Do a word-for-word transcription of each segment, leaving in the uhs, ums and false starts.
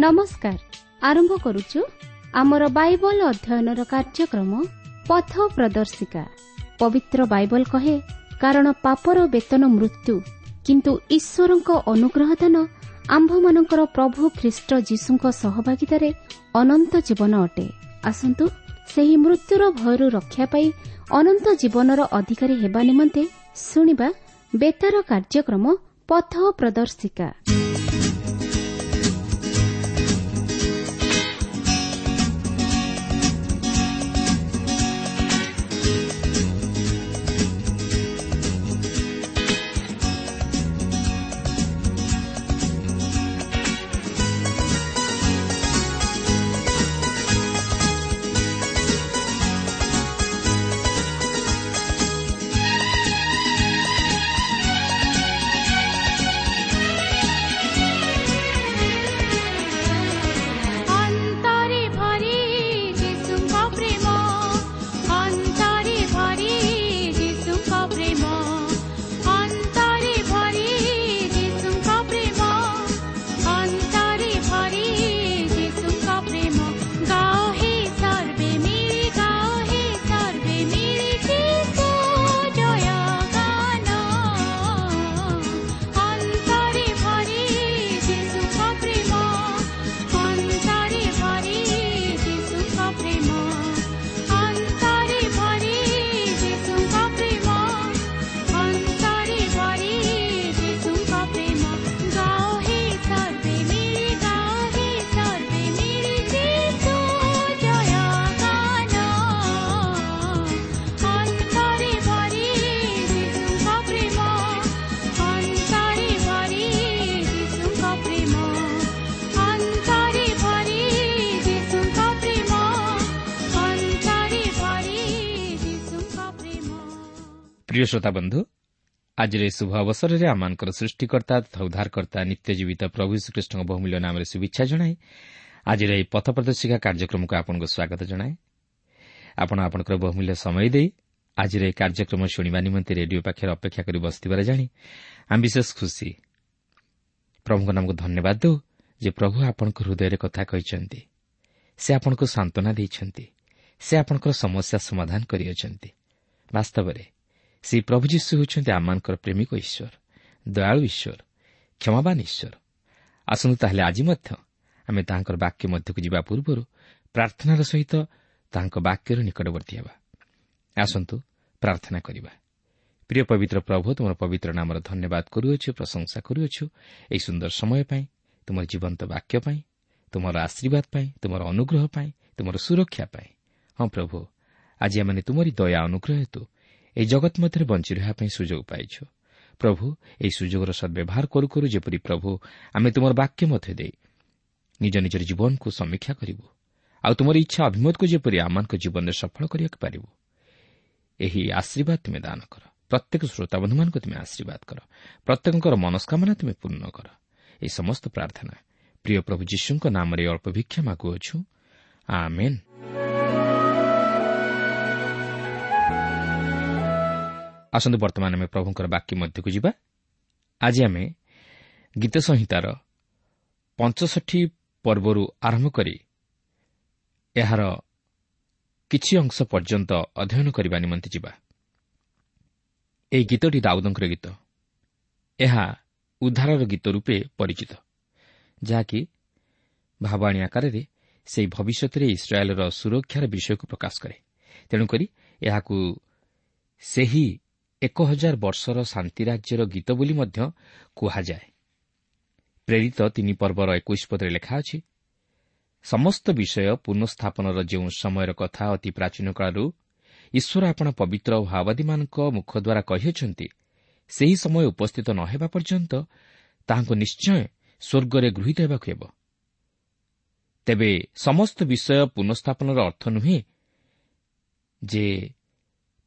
ନମସ୍କାର। ଆରମ୍ଭ କରୁଛୁ ଆମର ବାଇବଲ ଅଧ୍ୟୟନର କାର୍ଯ୍ୟକ୍ରମ ପଥ ପ୍ରଦର୍ଶିକା। ପବିତ୍ର ବାଇବଲ କହେ, କାରଣ ପାପର ବେତନ ମୃତ୍ୟୁ, କିନ୍ତୁ ଈଶ୍ୱରଙ୍କ ଅନୁଗ୍ରହ ଦାନ ଆମ୍ଭମାନଙ୍କର ପ୍ରଭୁ ଖ୍ରୀଷ୍ଟ ଯୀଶୁଙ୍କ ସହଭାଗିତାରେ ଅନନ୍ତ ଜୀବନ ଅଟେ। ଆସନ୍ତୁ ସେହି ମୃତ୍ୟୁର ଭୟରୁ ରକ୍ଷା ପାଇ ଅନନ୍ତ ଜୀବନର ଅଧିକାରୀ ହେବା ନିମନ୍ତେ ଶୁଣିବା ବେତାର କାର୍ଯ୍ୟକ୍ରମ ପଥ ପ୍ରଦର୍ଶିକା। ଅନ୍ତରେ ଭରି ଯୀଶୁଙ୍କ ପ୍ରେମ, ଅନ୍ତରେ ଭରି ଯୀଶୁଙ୍କ ପ୍ରେମ, ଅନ୍ତରେ ଭରି ଯୀଶୁଙ୍କ ପ୍ରେମ, ଅନ୍ତରେ ଭରି ଯୀଶୁଙ୍କ ପ୍ରେମ। ଗାଓ ହେ ସର୍ବେ ମିଳି, ଗାଓ ହେ ସର୍ବେ ମିଳି ଯୀଶୁ ଜୟ ଗାନ। ଅନ୍ତରେ ଭରି ଯୀଶୁଙ୍କ ପ୍ରେମ, ଅନ୍ତରେ ଭରି ଯୀଶୁଙ୍କ ପ୍ରେମ, ଅନ୍ତରେ ଭରି ଯୀଶୁଙ୍କ ପ୍ରେମ, ଅନ୍ତରେ ଭରି ଯୀଶୁଙ୍କ ପ୍ରେମ। ଗାଓ ହେ ସର୍ବେ ମିଳି, ଗାଓ ହେ ସର୍ବେ ମିଳି ଯୀଶୁ ଜୟ ଗାନ। ଅନ୍ତରେ ଭରି ଯୀଶୁଙ୍କ ପ୍ରେମ, ଅନ୍ତରେ ଭରି ଯୀଶୁଙ୍କ ପ୍ରେମ, ଅନ୍ତରେ ଭରି ଯୀଶୁଙ୍କ ପ୍ରେମ, ଅନ୍ତରେ ଭରି ଯୀଶୁଙ୍କ ପ୍ରେମ। ପ୍ରିୟ ଶ୍ରୋତା ବନ୍ଧୁ, ଆଜିର ଏହି ଶୁଭ ଅବସରରେ ଆମମାନଙ୍କର ସୃଷ୍ଟିକର୍ତ୍ତା ତଥା ଉଦ୍ଧାରକର୍ତ୍ତା ନିତ୍ୟ ଜୀବିତ ପ୍ରଭୁ ଶ୍ରୀକୃଷ୍ଣଙ୍କ ବହୁମୂଲ୍ୟ ନାମରେ ଶୁଭେଚ୍ଛା ଜଣାଇ ଆଜିର ଏହି ପଥ ପ୍ରଦର୍ଶିକା କାର୍ଯ୍ୟକ୍ରମକୁ ଆପଣଙ୍କୁ ସ୍ୱାଗତ ଜଣାଏ। ଆପଣ ଆପଣଙ୍କର ବହୁମୂଲ୍ୟ ସମୟ ଦେଇ ଆଜିର ଏହି କାର୍ଯ୍ୟକ୍ରମ ଶୁଣିବା ନିମନ୍ତେ ରେଡିଓ ପାଖରେ ଅପେକ୍ଷା କରି ବସିଥିବାର ଜାଣି ଆମେ ବିଶେଷ ଖୁସି। ପ୍ରଭୁଙ୍କ ନାମକୁ ଧନ୍ୟବାଦ ଦେଉ ଯେ ପ୍ରଭୁ ଆପଣଙ୍କ ହୃଦୟରେ କଥା କହିଛନ୍ତି, ସେ ଆପଣଙ୍କୁ ସାନ୍ତ୍ୱନା ଦେଇଛନ୍ତି, ସେ ଆପଣଙ୍କର ସମସ୍ୟା ସମାଧାନ କରିଅଛନ୍ତି। ବାସ୍ତବରେ ସେହି ପ୍ରଭୁ ଯୀଶୁ ହେଉଛନ୍ତି ଆମମାନଙ୍କର ପ୍ରେମିକ ଈଶ୍ୱର, ଦୟାଳୁ ଈଶ୍ୱର, କ୍ଷମାବାନ ଈଶ୍ୱର। ଆସନ୍ତୁ ତାହେଲେ ଆଜି ମଧ୍ୟ ଆମେ ତାହାଙ୍କର ବାକ୍ୟ ମଧ୍ୟକୁ ଯିବା ପୂର୍ବରୁ ପ୍ରାର୍ଥନାର ସହିତ ତାହାଙ୍କ ବାକ୍ୟର ନିକଟବର୍ତ୍ତୀ ହେବା। ଆସନ୍ତୁ ପ୍ରାର୍ଥନା କରିବା। ପ୍ରିୟ ପବିତ୍ର ପ୍ରଭୁ, ତୁମର ପବିତ୍ର ନାମର ଧନ୍ୟବାଦ କରୁଅଛୁ, ପ୍ରଶଂସା କରୁଅଛୁ ଏହି ସୁନ୍ଦର ସମୟ ପାଇଁ, ତୁମର ଜୀବନ୍ତ ବାକ୍ୟ ପାଇଁ, ତୁମର ଆଶୀର୍ବାଦ ପାଇଁ, ତୁମର ଅନୁଗ୍ରହ ପାଇଁ, ତୁମର ସୁରକ୍ଷା ପାଇଁ। ହଁ ପ୍ରଭୁ, ଆଜି ଆମେ ତୁମରି ଦୟା ଅନୁଗ୍ରହ ହେତୁ ଏହି ଜଗତ ମଧ୍ୟରେ ବଞ୍ଚି ରହିବା ପାଇଁ ସୁଯୋଗ ପାଇଛୁ। ପ୍ରଭୁ, ଏହି ସୁଯୋଗର ସଦ୍ବ୍ୟବହାର କରୁ କରୁ ଯେପରି ପ୍ରଭୁ ଆମେ ତୁମର ବାକ୍ୟ ମଧ୍ୟ ଦେଇ ନିଜ ନିଜର ଜୀବନକୁ ସମୀକ୍ଷା କରିବୁ ଆଉ ତୁମର ଇଚ୍ଛା ଅଭିମତକୁ ଯେପରି ଆମମାନଙ୍କ ଜୀବନରେ ସଫଳ କରିବାକୁ ପାରିବୁ, ଏହି ଆଶୀର୍ବାଦ ତୁମେ ଦାନ କର। ପ୍ରତ୍ୟେକ ଶ୍ରୋତାବନ୍ଧୁମାନଙ୍କୁ ତୁମେ ଆଶୀର୍ବାଦ କର, ପ୍ରତ୍ୟେକଙ୍କର ମନସ୍କାମନା ତୁମେ ପୂର୍ଣ୍ଣ କର। ଏହି ସମସ୍ତ ପ୍ରାର୍ଥନା ପ୍ରିୟ ପ୍ରଭୁ ଯୀଶୁଙ୍କ ନାମରେ ଅଳ୍ପ ଭିକ୍ଷା ମାଗୁଅଛୁ, ଆମେନ୍। ଆସନ୍ତୁ ବର୍ତ୍ତମାନ ଆମେ ପ୍ରଭୁଙ୍କର ବାକ୍ୟ ମଧ୍ୟକୁ ଯିବା। ଆଜି ଆମେ ଗୀତ ସଂହିତାର ପଞ୍ଚଷଠି ପର୍ବରୁ ଆରମ୍ଭ କରି ଏହାର କିଛି ଅଂଶ ପର୍ଯ୍ୟନ୍ତ ଅଧ୍ୟୟନ କରିବା ନିମନ୍ତେ ଯିବା। ଏହି ଗୀତଟି ଦାଉଦଙ୍କର ଗୀତ। ଏହା ଉଦ୍ଧାରର ଗୀତ ରୂପେ ପରିଚିତ, ଯାହାକି ଭାବାଣୀ ଆକାରରେ ସେହି ଭବିଷ୍ୟତରେ ଇସ୍ରାଏଲର ସୁରକ୍ଷାର ବିଷୟକୁ ପ୍ରକାଶ କରେ। ତେଣୁକରି ଏହାକୁ ସେହି ଏକ ହଜାର ବର୍ଷର ଶାନ୍ତି ରାଜ୍ୟର ଗୀତ ବୋଲି ମଧ୍ୟ କୁହାଯାଏ। ପ୍ରେରିତ ତିନି ପର୍ବର ଏକୋଇଶ ପଦରେ ଲେଖା ଅଛି, ସମସ୍ତ ବିଷୟ ପୁନଃସ୍ଥାପନର ଯେଉଁ ସମୟର କଥା ଅତି ପ୍ରାଚୀନ କାଳରୁ ଈଶ୍ୱର ଆପଣ ପବିତ୍ର ଭାବାଦୀମାନଙ୍କ ମୁଖ ଦ୍ୱାରା କହିଅଛନ୍ତି, ସେହି ସମୟ ଉପସ୍ଥିତ ନ ହେବା ପର୍ଯ୍ୟନ୍ତ ତାହାଙ୍କୁ ନିଶ୍ଚୟ ସ୍ୱର୍ଗରେ ଗୃହୀତ ହେବାକୁ ହେବ। ତେବେ ସମସ୍ତ ବିଷୟ ପୁନଃସ୍ଥାପନର ଅର୍ଥ ନୁହେଁ ଯେ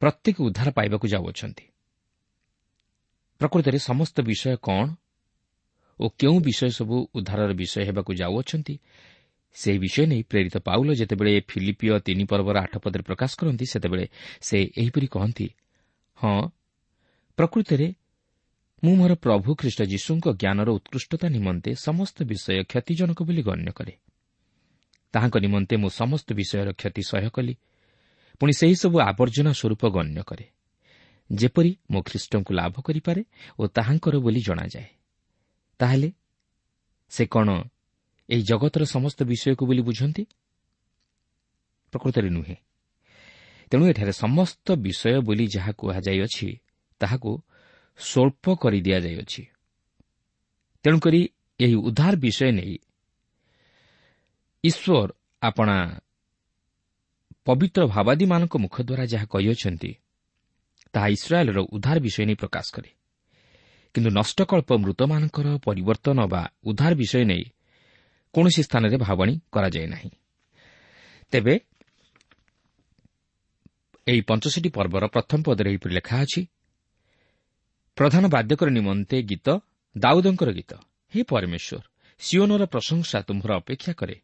ପ୍ରତ୍ୟେକ ଉଦ୍ଧାର ପାଇବାକୁ ଯାଉଅଛନ୍ତି। ପ୍ରକୃତରେ ସମସ୍ତ ବିଷୟ କ'ଣ ଓ କେଉଁ ବିଷୟ ସବୁ ଉଦ୍ଧାରର ବିଷୟ ହେବାକୁ ଯାଉଅଛନ୍ତି, ସେହି ବିଷୟ ନେଇ ପ୍ରେରିତ ପାଉଲ ଯେତେବେଳେ ଫିଲିପିଓ ତିନି ପର୍ବର ଆଠ ପଦରେ ପ୍ରକାଶ କରନ୍ତି, ସେତେବେଳେ ସେ ଏହିପରି କହନ୍ତି, ହଁ, ପ୍ରକୃତରେ ମୁଁ ମୋର ପ୍ରଭୁ ଖ୍ରୀଷ୍ଟ ଯୀଶୁଙ୍କ ଜ୍ଞାନର ଉତ୍କୃଷ୍ଟତା ନିମନ୍ତେ ସମସ୍ତ ବିଷୟ କ୍ଷତିଜନକ ବୋଲି ଗଣ୍ୟ କରେ। ତାହାଙ୍କ ନିମନ୍ତେ ମୁଁ ସମସ୍ତ ବିଷୟର କ୍ଷତି ସହ୍ୟ କଲି, ପୁଣି ସେହିସବୁ ଆବର୍ଜନା ସ୍ୱରୂପ ଗଣ୍ୟ କରେ, ଯେପରି ମୁଁ ଖ୍ରୀଷ୍ଟଙ୍କୁ ଲାଭ କରିପାରେ ଓ ତାହାଙ୍କର ବୋଲି ଜଣାଯାଏ। ତାହେଲେ ସେ କ'ଣ ଏହି ଜଗତର ସମସ୍ତ ବିଷୟକୁ ବୋଲି ବୁଝନ୍ତି? ପ୍ରକୃତରେ ନୁହେଁ। ତେଣୁ ଏଠାରେ ସମସ୍ତ ବିଷୟ ବୋଲି ଯାହା କୁହାଯାଇଅଛି ତାହାକୁ ସ୍ୱଳ୍ପ କରିଦିଆଯାଇଅଛି। ତେଣୁକରି ଏହି ଉଦ୍ଧାର ବିଷୟ ନେଇ ଈଶ୍ୱର ଆପଣା ପବିତ୍ର ଭାବାଦୀମାନଙ୍କ ମୁଖ ଦ୍ୱାରା ଯାହା କହିଅଛନ୍ତି ତାହା ଇସ୍ରାଏଲର ଉଦ୍ଧାର ବିଷୟ ନେଇ ପ୍ରକାଶ କରେ। କିନ୍ତୁ ନଷ୍ଟକଳ୍ପ ମୃତମାନଙ୍କର ପରିବର୍ତ୍ତନ ବା ଉଦ୍ଧାର ବିଷୟ ନେଇ କୌଣସି ସ୍ଥାନରେ ଭାବଣୀ କରାଯାଏ ନାହିଁ। ତେବେ ଏହି ପଞ୍ଚଷଠି ପର୍ବର ପ୍ରଥମ ପଦରେ ଏହିପରି ଲେଖା ଅଛି, ପ୍ରଧାନ ବାଦ୍ୟକର ନିମନ୍ତେ ଗୀତ, ଦାଉଦଙ୍କର ଗୀତ। ହେ ପରମେଶ୍ୱର, ସିଓନର ପ୍ରଶଂସା ତୁମ୍ଭର ଅପେକ୍ଷା କରେ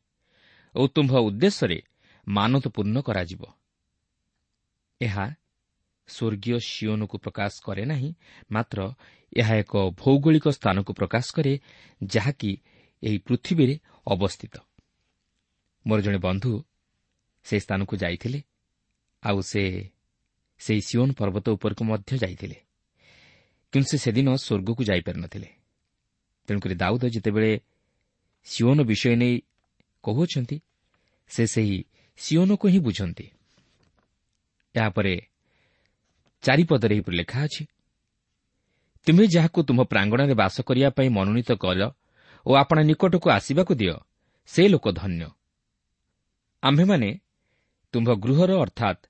ଓ ତୁମ୍ଭ ଉଦ୍ଦେଶ୍ୟରେ ମାନତ ପୂର୍ଣ୍ଣ କରାଯିବ। ଏହା ସ୍ୱର୍ଗୀୟ ସିଓନକୁ ପ୍ରକାଶ କରେ ନାହିଁ, ମାତ୍ର ଏହା ଏକ ଭୌଗୋଳିକ ସ୍ଥାନକୁ ପ୍ରକାଶ କରେ ଯାହାକି ଏହି ପୃଥିବୀରେ ଅବସ୍ଥିତ। ମୋର ଜଣେ ବନ୍ଧୁ ସେ ସ୍ଥାନକୁ ଯାଇଥିଲେ, ଆଉ ସେ ସେହି ସିଓନ ପର୍ବତ ଉପରକୁ ମଧ୍ୟ ଯାଇଥିଲେ, କିନ୍ତୁ ସେ ସେଦିନ ସ୍ୱର୍ଗକୁ ଯାଇପାରିନଥିଲେ। ତେଣୁକରି ଦାଉଦ ଯେତେବେଳେ ସିଓନ ବିଷୟ ନେଇ କହୁଅଛନ୍ତି, ସେ ସେହି ସିଓନକୁ ହିଁ ବୁଝନ୍ତି। ଏହାପରେ ଚାରିପଦରେ ଏହିପରି ଲେଖା ଅଛି, ତୁମେ ଯାହାକୁ ତୁମ୍ଭ ପ୍ରାଙ୍ଗଣରେ ବାସ କରିବା ପାଇଁ ମନୋନୀତ କର ଓ ଆପଣା ନିକଟକୁ ଆସିବାକୁ ଦିଅ, ସେ ଲୋକ ଧନ୍ୟ। ଆମ୍ଭେମାନେ ତୁମ୍ଭ ଗୃହର ଅର୍ଥାତ୍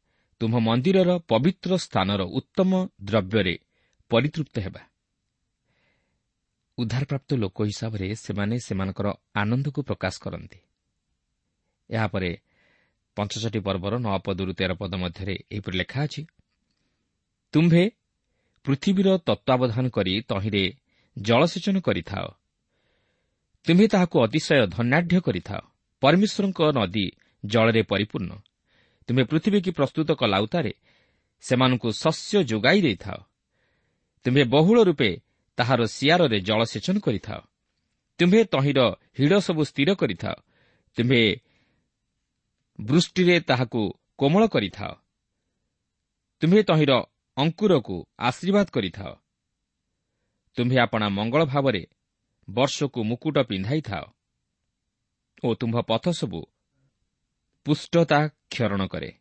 ତୁମ୍ଭ ମନ୍ଦିରର ପବିତ୍ର ସ୍ଥାନର ଉତ୍ତମ ଦ୍ରବ୍ୟରେ ପରିତୃପ୍ତ ହେବା। ଉଦ୍ଧାରପ୍ରାପ୍ତ ଲୋକ ହିସାବରେ ସେମାନେ ସେମାନଙ୍କର ଆନନ୍ଦକୁ ପ୍ରକାଶ କରନ୍ତି। ଏହାପରେ ପଞ୍ଚଷଠି ପର୍ବର ନଅ ପଦରୁ ତେର ପଦ ମଧ୍ୟରେ ଏହିପରି ଲେଖା ଅଛି, ତୁମ୍ଭେ ପୃଥିବୀର ତତ୍ତ୍ୱାବଧାନ କରି ତହିଁରେ ଜଳସେଚନ କରିଥାଅ, ତୁମ୍ଭେ ତାହାକୁ ଅତିଶୟ ଧନ୍ୟାଢ୍ୟ କରିଥାଅ। ପରମେଶ୍ୱରଙ୍କ ନଦୀ ଜଳରେ ପରିପୂର୍ଣ୍ଣ। ତୁମ୍ଭେ ପୃଥିବୀକି ପ୍ରସ୍ତୁତ କଲା ଉତ୍ତାରେ ସେମାନଙ୍କୁ ଶସ୍ୟ ଯୋଗାଇ ଦେଇଥାଅ। ତୁମ୍ଭେ ବହୁଳ ରୂପେ ତାହାର ଶିଆରରେ ଜଳସେଚନ କରିଥାଅ। ତୁମ୍ଭେ ତହିଁର ହିଡ଼ ସବୁ ସ୍ଥିର କରିଥାଅ। ତୁମ୍ଭେ ବୃଷ୍ଟିରେ ତାହାକୁ କୋମଳ କରିଥାଅ। ତୁମ୍ଭେ ତହିଁର ଅଙ୍କୁରକୁ ଆଶୀର୍ବାଦ କରିଥାଅ। ତୁମ୍ଭେ ଆପଣା ମଙ୍ଗଳ ଭାବରେ ବର୍ଷକୁ ମୁକୁଟ ପିନ୍ଧାଇଥାଅ ଓ ତୁମ୍ଭ ପଥ ସବୁ ପୁଷ୍ଟତା କ୍ଷରଣ କରେ।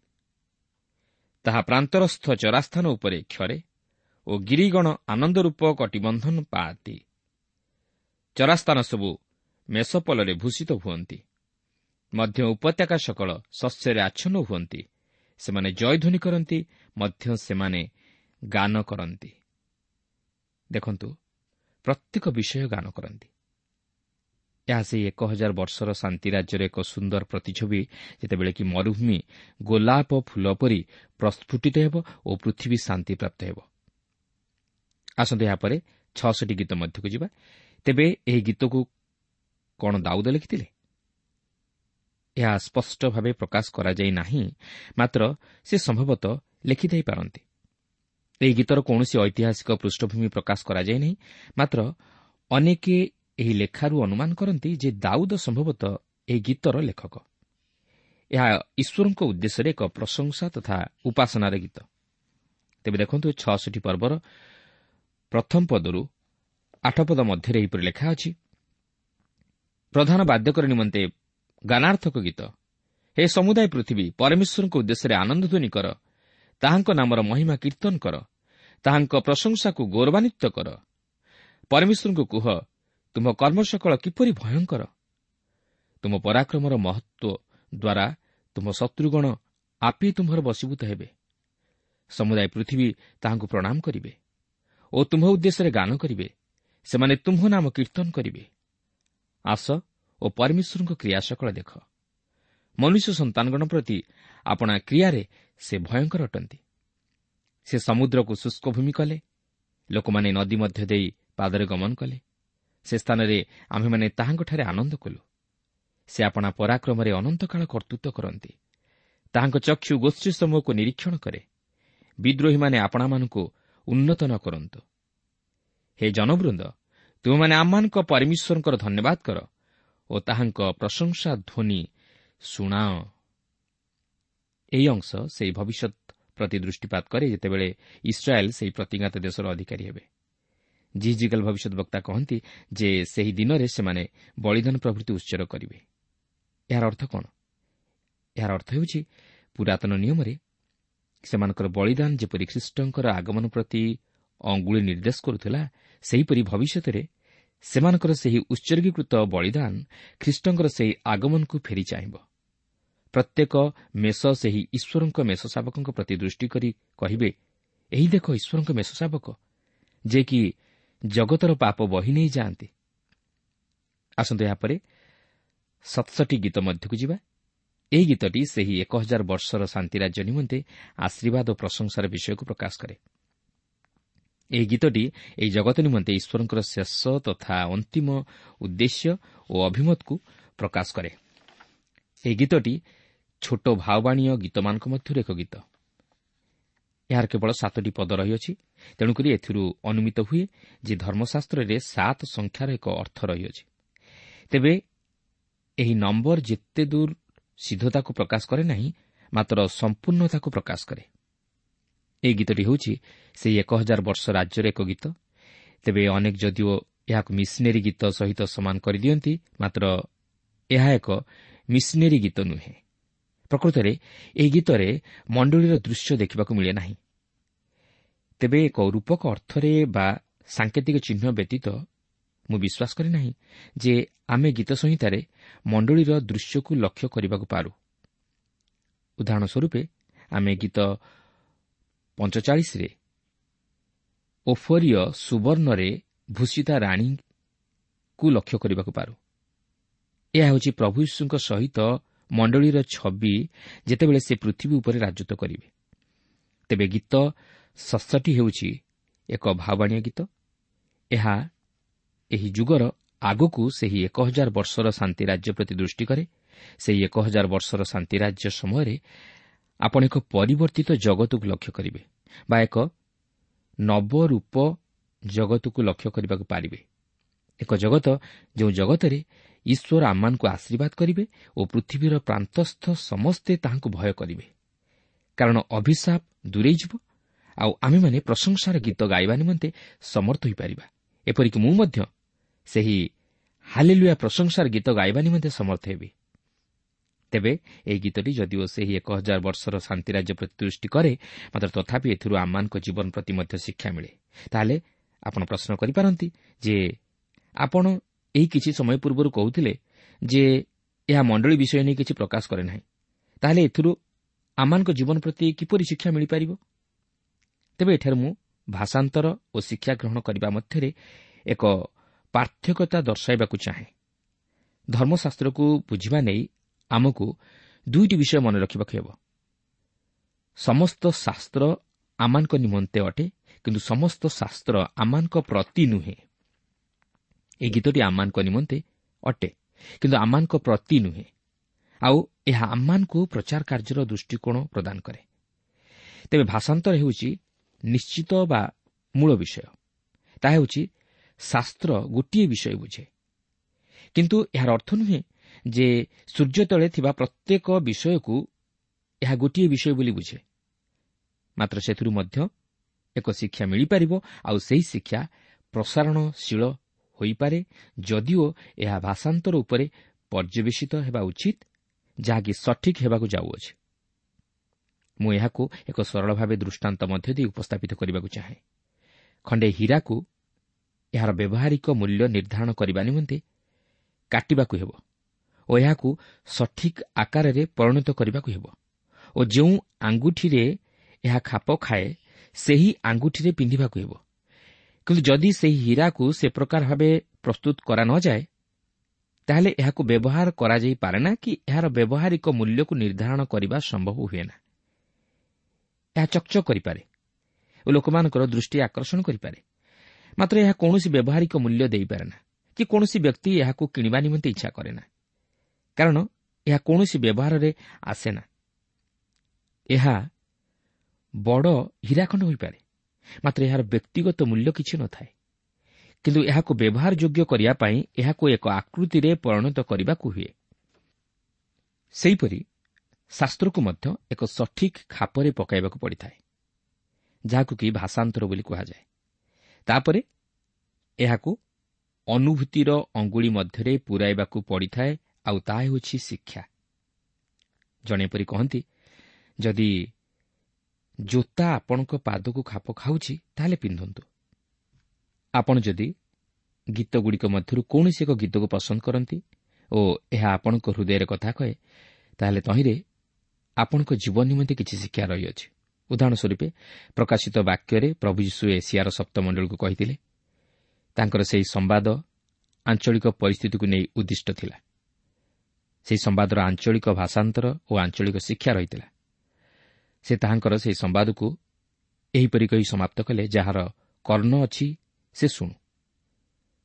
ତାହା ପ୍ରାନ୍ତରସ୍ଥ ଚରାସ୍ଥାନ ଉପରେ କ୍ଷରେ ଓ ଗିରିଗଣ ଆନନ୍ଦରୂପ କଟିବନ୍ଧନ ପାଆନ୍ତି। ଚରାସ୍ଥାନ ସବୁ ମେଷପଲରେ ଭୂଷିତ ହୁଅନ୍ତି, ମଧ୍ୟ ଉପତ୍ୟକା ସକଳ ଶସ୍ୟରେ ଆଚ୍ଛନ୍ନ ହୁଅନ୍ତି। ସେମାନେ ଜୟଧ୍ୱନି କରନ୍ତି, ମଧ୍ୟ ସେମାନେ ଗାନ କରନ୍ତି। ଦେଖନ୍ତୁ, ପ୍ରତ୍ୟେକ ବିଷୟ ଗାନ କରନ୍ତି। ଏହା ସେହି ଏକ ହଜାର ବର୍ଷର ଶାନ୍ତି ରାଜ୍ୟର ଏକ ସୁନ୍ଦର ପ୍ରତିଛବି, ଯେତେବେଳେ କି ମରୁଭୂମି ଗୋଲାପ ଫୁଲ ପରି ପ୍ରସ୍ଫୁଟିତ ହେବ ଓ ପୃଥିବୀ ଶାନ୍ତିପ୍ରାପ୍ତ ହେବ। ଆସନ୍ତୁ ଏହାପରେ ଛଅଷଠି ଗୀତ ମଧ୍ୟକୁ ଯିବା। ତେବେ ଏହି ଗୀତକୁ କ'ଣ ଦାଉଦ ଲେଖିଥିଲେ? ଏହା ସ୍ପଷ୍ଟ ଭାବେ ପ୍ରକାଶ କରାଯାଇ ନାହିଁ, ମାତ୍ର ସେ ସମ୍ଭବତଃ ଲେଖିଥାଇପାରନ୍ତି। ଏହି ଗୀତର କୌଣସି ଐତିହାସିକ ପୃଷ୍ଠଭୂମି ପ୍ରକାଶ କରାଯାଇ ନାହିଁ, ମାତ୍ର ଅନେକ ଏହି ଲେଖାରୁ ଅନୁମାନ କରନ୍ତି ଯେ ଦାଉଦ ସମ୍ଭବତଃ ଏହି ଗୀତର ଲେଖକ। ଏହା ଈଶ୍ୱରଙ୍କ ଉଦ୍ଦେଶ୍ୟରେ ଏକ ପ୍ରଶଂସା ତଥା ଉପାସନାର ଗୀତ। ତେବେ ଦେଖନ୍ତୁ, ଛଅଷଠି ପର୍ବର ପ୍ରଥମ ପଦରୁ ଆଠ ପଦ ମଧ୍ୟରେ ଏହିପରି ଲେଖା ଅଛି, ପ୍ରଧାନ ବାଦ୍ୟକର ନିମନ୍ତେ ଗାନାର୍ଥକ ଗୀତ। ହେ ସମୁଦାୟ ପୃଥିବୀ, ପରମେଶ୍ୱରଙ୍କ ଉଦ୍ଦେଶ୍ୟରେ ଆନନ୍ଦଧ୍ୱନି କର, ତାହାଙ୍କ ନାମର ମହିମା କୀର୍ତ୍ତନ କର, ତାହାଙ୍କ ପ୍ରଶଂସାକୁ ଗୌରବାନ୍ୱିତ କର। ପରମେଶ୍ୱରଙ୍କୁ କୁହ, ତୁମ କର୍ମ ସକଳ କିପରି ଭୟଙ୍କର! ତୁମ ପରାକ୍ରମର ମହତ୍ତ୍ୱ ଦ୍ୱାରା ତୁମ ଶତ୍ରୁଗଣ ଆପେ ତୁମ୍ଭର ବଶୀଭୂତ ହେବେ। ସମୁଦାୟ ପୃଥିବୀ ତାହାଙ୍କୁ ପ୍ରଣାମ କରିବେ ଓ ତୁମ୍ଭ ଉଦ୍ଦେଶ୍ୟରେ ଗାନ କରିବେ। ସେମାନେ ତୁମ୍ଭ ନାମ କୀର୍ତ୍ତନ କରିବେ। ଆସ ଓ ପରମେଶ୍ୱରଙ୍କ କ୍ରିୟା ସକଳ ଦେଖ। ମନୁଷ୍ୟ ସନ୍ତାନଗଣ ପ୍ରତି ଆପଣା କ୍ରିୟାରେ ସେ ଭୟଙ୍କର ଅଟନ୍ତି। ସେ ସମୁଦ୍ରକୁ ଶୁଷ୍କ ଭୂମି କଲେ, ଲୋକମାନେ ନଦୀ ମଧ୍ୟ ଦେଇ ପାଦରେ ଗମନ କଲେ। ସେ ସ୍ଥାନରେ ଆମ୍ଭେମାନେ ତାହାଙ୍କଠାରେ ଆନନ୍ଦ କଲୁ। ସେ ଆପଣା ପରାକ୍ରମରେ ଅନନ୍ତକାଳ କର୍ତ୍ତୃତ୍ୱ କରନ୍ତି। ତାହାଙ୍କ ଚକ୍ଷୁ ଗୋଷ୍ଠୀ ସମୂହକୁ ନିରୀକ୍ଷଣ କରେ। ବିଦ୍ରୋହୀମାନେ ଆପଣାମାନଙ୍କୁ ଉନ୍ନତ ନ କରନ୍ତୁ। ହେ ଜନବୃନ୍ଦ, ତୁମେମାନେ ଆମମାନଙ୍କ ପରମେଶ୍ୱରଙ୍କର ଧନ୍ୟବାଦ କର ଓ ତାହାଙ୍କ ପ୍ରଶଂସା ଧ୍ୱନି ଶୁଣାଅ। ଏହି ଅଂଶ ସେହି ଭବିଷ୍ୟତ ପ୍ରତି ଦୃଷ୍ଟିପାତ କରେ ଯେତେବେଳେ ଇସ୍ରାଏଲ୍ ସେହି ପ୍ରତିଜ୍ଞାତ ଦେଶର ଅଧିକାରୀ ହେବେ। ଯିହିଜିକଲ ଭବିଷ୍ୟତ ବକ୍ତା କହନ୍ତି ଯେ ସେହି ଦିନରେ ସେମାନେ ବଳିଦାନ ପ୍ରଭୃତି ଉତ୍ସର୍ଗ କରିବେ। ଏହାର ଅର୍ଥ କ'ଣ? ଏହାର ଅର୍ଥ ହେଉଛି ପୁରାତନ ନିୟମରେ ସେମାନଙ୍କର ବଳିଦାନ ଯେପରି ଖ୍ରୀଷ୍ଟଙ୍କର ଆଗମନ ପ୍ରତି ଅଙ୍ଗୁଳି ନିର୍ଦ୍ଦେଶ କରୁଥିଲା, ସେହିପରି ଭବିଷ୍ୟତରେ ସେମାନଙ୍କର ସେହି ଉତ୍ସର୍ଗୀକୃତ ବଳିଦାନ ଖ୍ରୀଷ୍ଟଙ୍କର ସେହି ଆଗମନକୁ ଫେରି ଚାହିଁବ। ପ୍ରତ୍ୟେକ ମେଷ ସେହି ଈଶ୍ୱରଙ୍କ ମେଷ ଶାବକଙ୍କ ପ୍ରତି ଦୃଷ୍ଟି କରି କହିବେ, ଏହି ଦେଖ ଈଶ୍ୱରଙ୍କ ମେଷ ଶାବକ, ଯେ କି ଜଗତର ପାପ ବହି ନେଇ ଯାଆନ୍ତି। ଆସନ୍ତୁ ଏହାପରେ ସତଷଠି ଗୀତ ମଧ୍ୟକୁ ଯିବା। ଏହି ଗୀତଟି ସେହି ଏକ ହଜାର ବର୍ଷର ଶାନ୍ତିରାଜ୍ୟ ନିମନ୍ତେ ଆଶୀର୍ବାଦ ଓ ପ୍ରଶଂସାର ବିଷୟକୁ ପ୍ରକାଶ କରେ। ଏହି ଗୀତଟି ଏହି ଜଗତ ନିମନ୍ତେ ଈଶ୍ୱରଙ୍କର ଶେଷ ତଥା ଅନ୍ତିମ ଉଦ୍ଦେଶ୍ୟ ଓ ଅଭିମତକୁ ପ୍ରକାଶ କରେ। ଏହି ଗୀତଟି ଛୋଟ ଭାବବାଣୀୟ ଗୀତମାନଙ୍କ ମଧ୍ୟରୁ ଏକ ଗୀତ। ଏହାର କେବଳ ସାତଟି ପଦ ରହିଅଛି, ତେଣୁକରି ଏଥିରୁ ଅନୁମିତ ହୁଏ ଯେ ଧର୍ମଶାସ୍ତ୍ରରେ ସାତ ସଂଖ୍ୟାର ଏକ ଅର୍ଥ ରହିଅଛି। ତେବେ ଏହି ନମ୍ବର ଯେତେ ଦୂର ସିଦ୍ଧତାକୁ ପ୍ରକାଶ କରେ ନାହିଁ, ମାତ୍ର ସମ୍ପୂର୍ଣ୍ଣତାକୁ ପ୍ରକାଶ କରେ। ଏହି ଗୀତଟି ହେଉଛି ସେହି ଏକ ହଜାର ବର୍ଷ ରାଜ୍ୟର ଏକ ଗୀତ। ତେବେ ଅନେକ ଯଦିଓ ଏହାକୁ ମିଶନେରୀ ଗୀତ ସହିତ ସମାନ କରିଦିଅନ୍ତି, ମାତ୍ର ଏହା ଏକ ମିଶନେରୀ ଗୀତ ନୁହେଁ। ପ୍ରକୃତରେ ଏହି ଗୀତରେ ମଣ୍ଡଳୀର ଦୃଶ୍ୟ ଦେଖିବାକୁ ମିଳେ ନାହିଁ। ତେବେ ଏକ ରୂପକ ଅର୍ଥରେ ବା ସାଙ୍କେତିକ ଚିହ୍ନ ବ୍ୟତୀତ ମୁଁ ବିଶ୍ୱାସ କରେ ନାହିଁ ଯେ ଆମେ ଗୀତ ସଂହିତାରେ ମଣ୍ଡଳୀର ଦୃଶ୍ୟକୁ ଲକ୍ଷ୍ୟ କରିବାକୁ ପାରୁ। ଉଦାହରଣ ସ୍ୱରୂପେ ଆମେ ଗୀତ ପଞ୍ଚଚାଳିଶରେ ଓଫରୀୟ ସୁବର୍ଣ୍ଣରେ ଭୂଷିତା ରାଣୀକୁ ଲକ୍ଷ୍ୟ କରିବାକୁ ପାରୁ। ଏହା ହେଉଛି ପ୍ରଭୁ ଯୀଶୁଙ୍କ ସହିତ ମଣ୍ଡଳୀର ଛବି ଯେତେବେଳେ ସେ ପୃଥିବୀ ଉପରେ ରାଜତ୍ୱ କରିବେ। ତେବେ ଗୀତ ସତଷଠି ହେଉଛି ଏକ ଭାବବାଣୀୟ ଗୀତ। ଏହା ଏହି ଯୁଗର ଆଗକୁ ସେହି ଏକ ହଜାର ବର୍ଷର ଶାନ୍ତି ରାଜ୍ୟ ପ୍ରତି ଦୃଷ୍ଟି କରେ। ସେହି ଏକ ହଜାର ବର୍ଷର ଶାନ୍ତି ରାଜ୍ୟ ସମୟରେ ଆପଣ ଏକ ପରିବର୍ତ୍ତିତ ଜଗତକୁ ଲକ୍ଷ୍ୟ କରିବେ ବା ଏକ ନବରୂପ ଜଗତକୁ ଲକ୍ଷ୍ୟ କରିବାକୁ ପାରିବେ। ଏକ ଜଗତ ଯେଉଁ ଜଗତରେ ଈଶ୍ୱର ଆମମାନଙ୍କୁ ଆଶୀର୍ବାଦ କରିବେ ଓ ପୃଥିବୀର ପ୍ରାନ୍ତସ୍ଥ ସମସ୍ତେ ତାହାଙ୍କୁ ଭୟ କରିବେ, କାରଣ ଅଭିଶାପ ଦୂରେଇ ଯିବ ଆଉ ଆମେମାନେ ପ୍ରଶଂସାର ଗୀତ ଗାଇବା ନିମନ୍ତେ ସମର୍ଥ ହୋଇପାରିବା। ଏପରିକି ମୁଁ ମଧ୍ୟ ସେହି ହାଲେଲୁୟା ପ୍ରଶଂସାର ଗୀତ ଗାଇବା ନିମନ୍ତେ ସମର୍ଥ ହେବି। ତେବେ ଏହି ଗୀତଟି ଯଦିଓ ସେହି ଏକ ହଜାର ବର୍ଷର ଶାନ୍ତିରାଜ୍ୟ ପ୍ରତି ଦୃଷ୍ଟି କରେ, ମାତ୍ର ତଥାପି ଏଥିରୁ ଆମମାନଙ୍କ ଜୀବନ ପ୍ରତି ମଧ୍ୟ ଶିକ୍ଷା ମିଳେ। ତାହେଲେ ଆପଣ ପ୍ରଶ୍ନ କରିପାରନ୍ତି ଯେ ଆପଣ ଏହି କିଛି ସମୟ ପୂର୍ବରୁ କହୁଥିଲେ ଯେ ଏହା ମଣ୍ଡଳୀ ବିଷୟ ନେଇ କିଛି ପ୍ରକାଶ କରେ ନାହିଁ, ତାହେଲେ ଏଥିରୁ ଆମମାନଙ୍କ ଜୀବନ ପ୍ରତି କିପରି ଶିକ୍ଷା ମିଳିପାରିବ? ତେବେ ଏଠାରେ ମୁଁ ଭାଷାନ୍ତର ଓ ଶିକ୍ଷା ଗ୍ରହଣ କରିବା ମଧ୍ୟରେ ଏକ ପାର୍ଥକ୍ୟତା ଦର୍ଶାଇବାକୁ ଚାହେଁ। ଧର୍ମଶାସ୍ତ୍ରକୁ ବୁଝିବା ନେଇ ଆମକୁ ଦୁଇଟି ବିଷୟ ମନେ ରଖିବାକୁ ହେବ। ସମସ୍ତ ଶାସ୍ତ୍ର ଆମମାନଙ୍କ ନିମନ୍ତେ ଅଟେ, କିନ୍ତୁ ସମସ୍ତ ଶାସ୍ତ୍ର ଆମମାନଙ୍କ ପ୍ରତି ନୁହେଁ। ଏହି ଗୀତଟି ଆମମାନଙ୍କ ନିମନ୍ତେ ଅଟେ, କିନ୍ତୁ ଆମମାନଙ୍କ ପ୍ରତି ନୁହେଁ। ଆଉ ଏହା ଆମମାନଙ୍କୁ ପ୍ରଚାର କାର୍ଯ୍ୟର ଦୃଷ୍ଟିକୋଣ ପ୍ରଦାନ କରେ। ତେବେ ଭାଷାନ୍ତର ହେଉଛି ନିଶ୍ଚିତ ବା ମୂଳ ବିଷୟ। ତାହା ହେଉଛି ଶାସ୍ତ୍ର ଗୋଟିଏ ବିଷୟ ବୁଝେ, କିନ୍ତୁ ଏହାର ଅର୍ଥ ନୁହେଁ ଯେ ସୂର୍ଯ୍ୟ ତଳେ ଥିବା ପ୍ରତ୍ୟେକ ବିଷୟକୁ ଏହା ଗୋଟିଏ ବିଷୟ ବୋଲି ବୁଝେ। ମାତ୍ର ସେଥିରୁ ମଧ୍ୟ ଏକ ଶିକ୍ଷା ମିଳିପାରିବ, ଆଉ ସେହି ଶିକ୍ଷା ପ୍ରସାରଣଶୀଳ ହୋଇପାରେ, ଯଦିଓ ଏହା ଭାଷାନ୍ତର ଉପରେ ପର୍ଯ୍ୟବେସିତ ହେବା ଉଚିତ, ଯାହାକି ସଠିକ୍ ହେବାକୁ ଯାଉଅଛି। ମୁଁ ଏହାକୁ ଏକ ସରଳ ଭାବେ ଦୃଷ୍ଟାନ୍ତ ମଧ୍ୟ ଦେଇ ଉପସ୍ଥାପିତ କରିବାକୁ ଚାହେଁ। ଖଣ୍ଡେ ହୀରାକୁ ଏହାର ବ୍ୟବହାରିକ ମୂଲ୍ୟ ନିର୍ଦ୍ଧାରଣ କରିବା ନିମନ୍ତେ କାଟିବାକୁ ହେବ ଓ ଏହାକୁ ସଠିକ୍ ଆକାରରେ ପରିଣତ କରିବାକୁ ହେବ ଓ ଯେଉଁ ଆଙ୍ଗୁଠିରେ ଏହା ଖାପ ଖାଏ ସେହି ଆଙ୍ଗୁଠିରେ ପିନ୍ଧିବାକୁ ହେବ। କିନ୍ତୁ ଯଦି ସେହି ହୀରାକୁ ସେ ପ୍ରକାର ଭାବେ ପ୍ରସ୍ତୁତ କରା ନଯାଏ, ତାହେଲେ ଏହାକୁ ବ୍ୟବହାର କରାଯାଇପାରେ ନା କି ଏହାର ବ୍ୟବହାରିକ ମୂଲ୍ୟକୁ ନିର୍ଦ୍ଧାରଣ କରିବା ସମ୍ଭବ ହୁଏ ନା। ଏହା ଚକଚକ କରିପାରେ ଓ ଲୋକମାନଙ୍କର ଦୃଷ୍ଟି ଆକର୍ଷଣ କରିପାରେ, ମାତ୍ର ଏହା କୌଣସି ବ୍ୟବହାରିକ ମୂଲ୍ୟ ଦେଇପାରେ ନା କି କୌଣସି ବ୍ୟକ୍ତି ଏହାକୁ କିଣିବା ନିମନ୍ତେ ଇଚ୍ଛା କରେ ନା, କାରଣ ଏହା କୌଣସି ବ୍ୟବହାରରେ ଆସେ ନା। ଏହା ବଡ଼ ହୀରାଖଣ୍ଡ ହୋଇପାରେ, ମାତ୍ର ଏହାର ବ୍ୟକ୍ତିଗତ ମୂଲ୍ୟ କିଛି ନଥାଏ। କିନ୍ତୁ ଏହାକୁ ବ୍ୟବହାର ଯୋଗ୍ୟ କରିବା ପାଇଁ ଏହାକୁ ଏକ ଆକୃତିରେ ପରିଣତ କରିବାକୁ ହୁଏ। ସେହିପରି ଶାସ୍ତ୍ରକୁ ମଧ୍ୟ ଏକ ସଠିକ୍ ଖାପରେ ପକାଇବାକୁ ପଡ଼ିଥାଏ, ଯାହାକୁ କି ଭାଷାନ୍ତର ବୋଲି କୁହାଯାଏ। ତାପରେ ଏହାକୁ ଅନୁଭୂତିର ଅଙ୍ଗୁଳି ମଧ୍ୟରେ ପୂରାଇବାକୁ ପଡ଼ିଥାଏ, ଆଉ ତାହା ହେଉଛି ଶିକ୍ଷା। ଜଣେ ଏପରି କହନ୍ତି, ଯଦି ଜୋତା ଆପଣଙ୍କ ପାଦକୁ ଖାପ ଖାଉଛି ତାହେଲେ ପିନ୍ଧନ୍ତୁ। ଆପଣ ଯଦି ଗୀତଗୁଡ଼ିକ ମଧ୍ୟରୁ କୌଣସି ଏକ ଗୀତକୁ ପସନ୍ଦ କରନ୍ତି ଓ ଏହା ଆପଣଙ୍କ ହୃଦୟରେ କଥା କହେ, ତାହେଲେ ତହିଁରେ ଆପଣଙ୍କ ଜୀବନ ନିମନ୍ତେ କିଛି ଶିକ୍ଷା ରହିଅଛି। ଉଦାହରଣ ସ୍ୱରୂପ ପ୍ରକାଶିତ ବାକ୍ୟରେ ପ୍ରଭୁ ଯୀଶୁ ଏସିଆର ସପ୍ତମଣ୍ଡଳୀକୁ କହିଥିଲେ। ତାଙ୍କର ସେହି ସମ୍ବାଦ ଆଞ୍ଚଳିକ ପରିସ୍ଥିତିକୁ ନେଇ ଉଦ୍ଦିଷ୍ଟ ଥିଲା। ସେହି ସମ୍ବାଦର ଆଞ୍ଚଳିକ ଭାଷାନ୍ତର ଓ ଆଞ୍ଚଳିକ ଶିକ୍ଷା ରହିଥିଲା। ସେ ତାହାଙ୍କର ସେହି ସମ୍ବାଦକୁ ଏହିପରି କହି ସମାପ୍ତ କଲେ, ଯାହାର କର୍ଣ୍ଣ ଅଛି ସେ ଶୁଣୁ।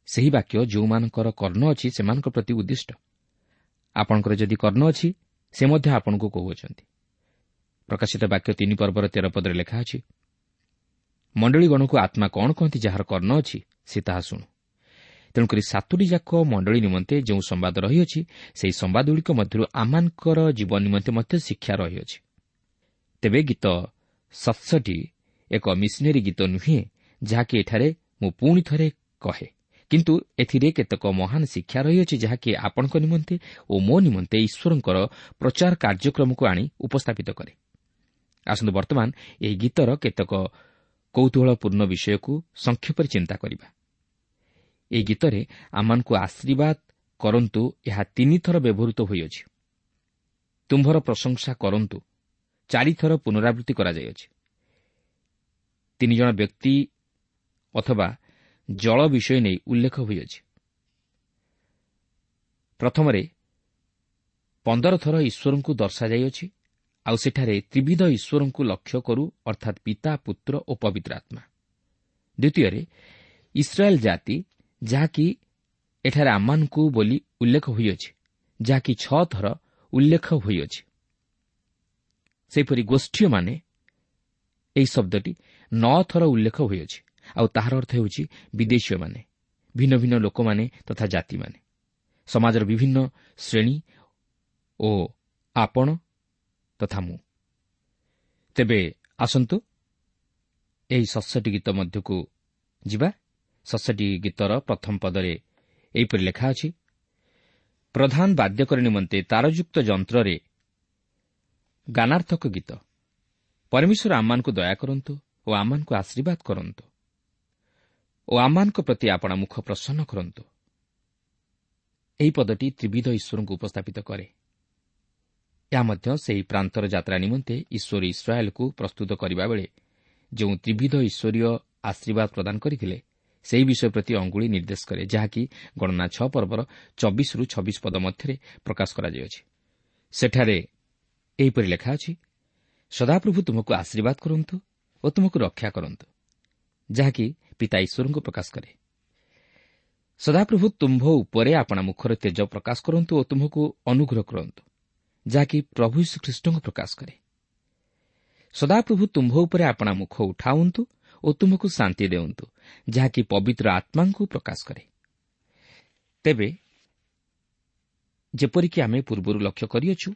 ସେହି ବାକ୍ୟ ଯେଉଁମାନଙ୍କର କର୍ଣ୍ଣ ଅଛି ସେମାନଙ୍କ ପ୍ରତି ଉଦ୍ଦିଷ୍ଟ। ଆପଣଙ୍କର ଯଦି କର୍ଣ୍ଣ ଅଛି, ସେ ମଧ୍ୟ ଆପଣଙ୍କୁ କହୁଅଛନ୍ତି। ପ୍ରକାଶିତ ବାକ୍ୟ ତିନି ପର୍ବର ତେର ପଦରେ ଲେଖା ଅଛି, ମଣ୍ଡଳୀଗଣକୁ ଆତ୍ମା କ'ଣ କହନ୍ତି, ଯାହାର କର୍ଣ୍ଣ ଅଛି ସେ ତାହା ଶୁଣୁ। ତେଣୁକରି ସାତୋଟି ଯାକ ମଣ୍ଡଳୀ ନିମନ୍ତେ ଯେଉଁ ସମ୍ବାଦ ରହିଅଛି, ସେହି ସମ୍ବାଦଗୁଡ଼ିକ ମଧ୍ୟରୁ ଆମମାନଙ୍କର ଜୀବନ ନିମନ୍ତେ ମଧ୍ୟ ଶିକ୍ଷା ରହିଅଛି। ତେବେ ଗୀତ ସତଷଠି ଏକ ମିଶନେରୀ ଗୀତ ନୁହେଁ, ଯାହାକି ଏଠାରେ ମୁଁ ପୁଣି ଥରେ କହେ, କିନ୍ତୁ ଏଥିରେ କେତେକ ମହାନ ଶିକ୍ଷା ରହିଅଛି, ଯାହାକି ଆପଣଙ୍କ ନିମନ୍ତେ ଓ ମୋ ନିମନ୍ତେ ଈଶ୍ୱରଙ୍କର ପ୍ରଚାର କାର୍ଯ୍ୟକ୍ରମକୁ ଆଣି ଉପସ୍ଥାପିତ କରେ। ଆସନ୍ତୁ ବର୍ତ୍ତମାନ ଏହି ଗୀତର କେତେକ କୌତୂହଳପୂର୍ଣ୍ଣ ବିଷୟକୁ ସଂକ୍ଷେପରେ ଚିନ୍ତା କରିବା। ଏହି ଗୀତରେ ଆମମାନଙ୍କୁ ଆଶୀର୍ବାଦ କରନ୍ତୁ ଏହା ତିନିଥର ବ୍ୟବହୃତ ହୋଇଅଛି। ତୁମ୍ଭର ପ୍ରଶଂସା କରନ୍ତୁ ଚାରିଥର ପୁନରାବୃତ୍ତି କରାଯାଇଅଛି। ତିନି ଜଣ ବ୍ୟକ୍ତି ଅଥବା ଜଳ ବିଷୟ ନେଇ ଉଲ୍ଲେଖ ହୋଇଅଛି। ପ୍ରଥମରେ ପନ୍ଦର ଥର ଈଶ୍ୱରଙ୍କୁ ଦର୍ଶାଯାଇଅଛି, ଆଉ ସେଠାରେ ତ୍ରିବିଧ ଈଶ୍ୱରଙ୍କୁ ଲକ୍ଷ୍ୟ କରୁ, ଅର୍ଥାତ୍ ପିତା, ପୁତ୍ର ଓ ପବିତ୍ର ଆତ୍ମା। ଦ୍ୱିତୀୟରେ ଇସ୍ରାଏଲ୍ ଜାତି, ଯାହାକି ଏଠାରେ ଆମମାନଙ୍କୁ ବୋଲି ଉଲ୍ଲେଖ ହୋଇଅଛି, ଯାହାକି ଛଅ ଥର ଉଲ୍ଲେଖ ହୋଇଅଛି। ସେହିପରି ଗୋଷ୍ଠୀୟମାନେ ଏହି ଶବ୍ଦଟି ନଅ ଥର ଉଲ୍ଲେଖ ହୋଇଅଛି, ଆଉ ତାହାର ଅର୍ଥ ହେଉଛି ବିଦେଶୀୟମାନେ, ଭିନ୍ନ ଭିନ୍ନ ଲୋକମାନେ ତଥା ଜାତିମାନେ, ସମାଜର ବିଭିନ୍ନ ଶ୍ରେଣୀ ଓ ଆପଣ ତଥା ମୁଁ। ତେବେ ଆସନ୍ତୁ ଏହି ସତଷଠି ଗୀତ ମଧ୍ୟକୁ ଯିବା। ସତଷଠି ଗୀତର ପ୍ରଥମ ପଦରେ ଏହିପରି ଲେଖା ଅଛି, ପ୍ରଧାନ ବାଦ୍ୟକର ନିମନ୍ତେ ତାରଯୁକ୍ତ ଯନ୍ତ୍ରରେ ଗାନାର୍ଥକ ଗୀତ। ପରମେଶ୍ୱର ଆମମାନଙ୍କୁ ଦୟା କରନ୍ତୁ ଓ ଆମମାନଙ୍କୁ ଆଶୀର୍ବାଦ କରନ୍ତୁ ଓ ଆମମାନଙ୍କ ପ୍ରତି ଆପଣା ମୁଖ ପ୍ରସନ୍ନ କରନ୍ତୁ। ଏହି ପଦଟି ତ୍ରିବିଧ ଈଶ୍ୱରଙ୍କୁ ଉପସ୍ଥାପିତ କରେ। ଏହା ମଧ୍ୟ ସେହି ପ୍ରାନ୍ତର ଯାତ୍ରା ନିମନ୍ତେ ଈଶ୍ୱର ଇସ୍ରାଏଲକୁ ପ୍ରସ୍ତୁତ କରିବା ବେଳେ ଯେଉଁ ତ୍ରିବିଧ ଈଶ୍ୱରୀୟ ଆଶୀର୍ବାଦ ପ୍ରଦାନ କରିଥିଲେ, ସେହି ବିଷୟ ପ୍ରତି ଅଙ୍ଗୁଳି ନିର୍ଦ୍ଦେଶ କରେ, ଯାହାକି ଗଣନା ଛଅ ପର୍ବର ଚବିଶରୁ ଛବିଶ ପଦ ମଧ୍ୟରେ ପ୍ରକାଶ କରାଯାଇଅଛି। ସେଠାରେ ଏହିପରି ଲେଖା ଅଛି, ସଦାପ୍ରଭୁ ତୁମକୁ ଆଶୀର୍ବାଦ କରନ୍ତୁ ଓ ତୁମକୁ ରକ୍ଷା କରନ୍ତୁ, ଯାହାକି ପିତା ଈଶ୍ୱରଙ୍କୁ ପ୍ରକାଶ କରେ। ସଦାପ୍ରଭୁ ତୁମ୍ଭ ଉପରେ ଆପଣା ମୁଖର ତେଜ ପ୍ରକାଶ କରନ୍ତୁ ଓ ତୁମକୁ ଅନୁଗ୍ରହ କରନ୍ତୁ, ଯାହାକି ପ୍ରଭୁ ଯୀଶୁଖ୍ରୀଷ୍ଟଙ୍କୁ ପ୍ରକାଶ କରେ। ସଦାପ୍ରଭୁ ତୁମ୍ଭ ଉପରେ ଆପଣା ମୁଖ ଉଠାଉନ୍ତୁ ଓ ତୁମକୁ ଶାନ୍ତି ଦେଉନ୍ତୁ, ଯାହାକି ପବିତ୍ର ଆତ୍ମାଙ୍କୁ ପ୍ରକାଶ କରେ। ତେବେ ଯେପରିକି ଆମେ ପୂର୍ବରୁ ଲକ୍ଷ୍ୟ କରିଅଛୁ,